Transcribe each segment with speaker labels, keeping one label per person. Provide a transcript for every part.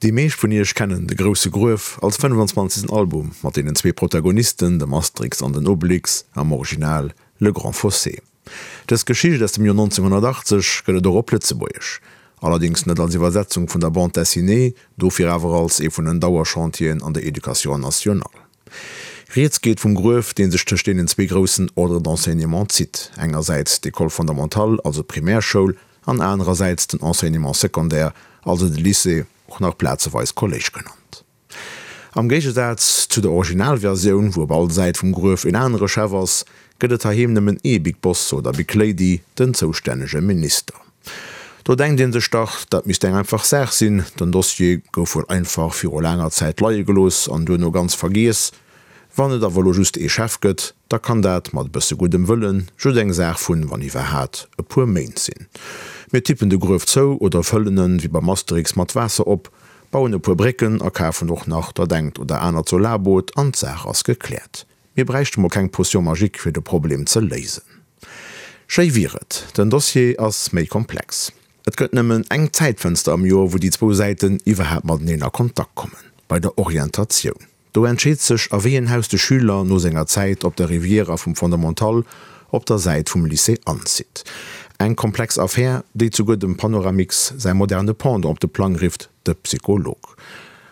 Speaker 1: Déi meescht vun iech kennen De grousse Gruef als 25. Album mat deenen zwee Protagonisten, dem Asterix an den Obelix, am Original Le Grand Fossé. Dës Geschicht aus dem Joer 1980 gëtt et och op Lëtzebuergesch. Allerdéngs net als Iwwersetzung vun der Bande dessinée, dofir awer als ee vun den Dauerchantieren an der Education nationale. Rieds geet vum Gruef, dee sech tëscht deenen zwee groussen Ordres d'enseignement zitt, engersäits d'École fondamentale, also d'Primärschoul, an anerersäits den Enseignement secondaire, also de Lycée, och nach plazeweis Kolléisch genannt. Am Géigesaz zu der Originalversioun, wou op all Säit vum Gruef een anere Chef ass, gëtt et heiheem nëmmen ee Big Boss oder Big Lady, den zoustännege Minister. Do denkt een sech dach, dat misst eng einfach Saach sinn, den Dossier gouf wuel einfach viru laanger Zäit leie gelooss an duerno ganz vergiess. Wann et awer elo just ee Chef gëtt, da kann dat mat e bësse guddem Wëllen just eng Saach vun, wann iwwerhaat, e puer Méint sinn. Mir tippen de Gruef zou oder fëllen en, wéi beim Asterix, mat Waasser op, bauen e puer Brécken a kafen och nach dat engt oder anert Solarboot an d'Saach ass gekläert. Mir bräichte mol keng Potion magique fir de Problem ze léisen. Schéi wier et. Den Dossier ass méi komplex. Et gëtt nëmmen eng Zäitfënster am Joer, wou déi zwou Säiten iwwerhaapt mateneen a Kontakt kommen, bei der Orientatioun. Do entscheet sech, a wéi een Haus de Schüler no senger Zäit op der Riviera vum Fondamental op der Säit vum Lycée anzitt. Eng komplex Affär, déi souguer dem Panoramix säi moderne Pendant op de Plang rifft, de Psycholog.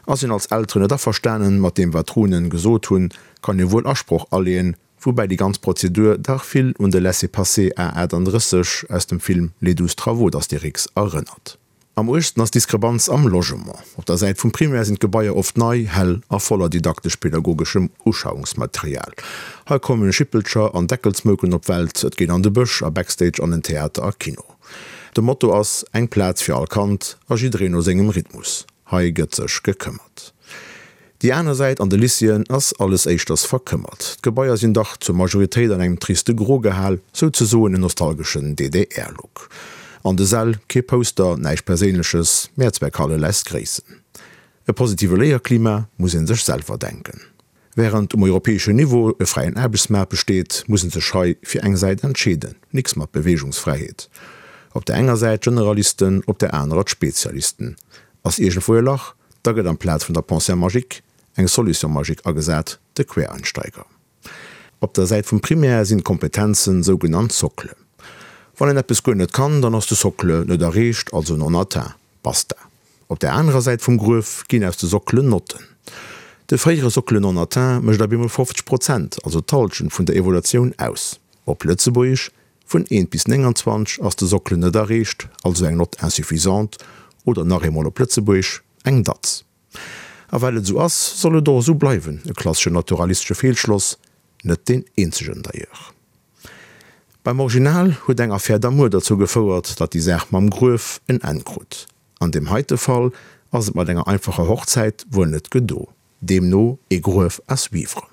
Speaker 1: Ass een als Elteren net averstanen mat deem wat d'Runen gesot hunn, kann ee wuel Asproch aleeën, woubäi déi ganz Prozedur dach vill un de Laissez-passer A 38 aus dem Film Les douze travaux d'Astérix erënnert. Am uergsten ass d'Diskrepanz am Logement. Op der Säit vum Primaire sinn d'Gebaier oft nei, hell a voller didaktesch-pedagogeschem Uschauungsmaterial. Hei kommen Schippelcher an Deckelsmouken op d'Welt, et geet an de Bësch, a Backstage, an den Theater a Kino. De Motto ass, Eng Plaz fir all Kand a jiddereen no sengem Rhythmus. Hei gëtt sech gekëmmert. Déi aner Säit, an de Lycéeën ass alles éischters verkëmmert. D'Gebaier sinn dach zur Majoritéit an engem triste Gro gehal, souzesoen en nostalgeschen DDR-Look. An de Säll kee Poster, näischt Perséinleches, Mehrzweckhalle lässt gréissen. E positive Léierklima muss ee sech selwer denken. Wärend um europäeschen Niveau e fräien Aarbechtsmaart besteet, muss en sech hei fir eng Säit entscheeden. Nix mat Beweegungsfräiheet. Op der enger Säit d'Generalisten, op der anerer d'Spezialisten. Ass iergendwou e Lach, da gëtt amplaz vun der Pensée magique eng Solution magique agesat, de Quereinsteiger. Op der Säit vum Primaire sinn d'Kompetenzen sougenannt Socle. Wann een eppes guer net kann, dann ass de Socle net erreecht, also non atteint. Basta. Op der anerer Säit vum Gruef ginn aus de Sockelen Notten. De fréiere Socle non atteint mécht op eemol 50 Prozent, also d'Hallschent vun der Evaluatioun aus. Op Lëtzebuergesch, Vun 1 bis 29 ass de Socle net erreecht, also eng Note insuffisante, oder nach eemol op Lëtzebuergesch, eng Datz. A well et esou ass, soll et och esou bleiwen, e klasseschen naturalistesche Feelschloss, net deen eenzegen d'ailleurs. Beim Original huet eng Affaire d'amour derzou gefouert, datt déi Saach mam Gruef en Enn krut. An deem heite Fall ass et mat enger einfacher Hochzäit wuel net gedo, deemno ee Gruef à suivre.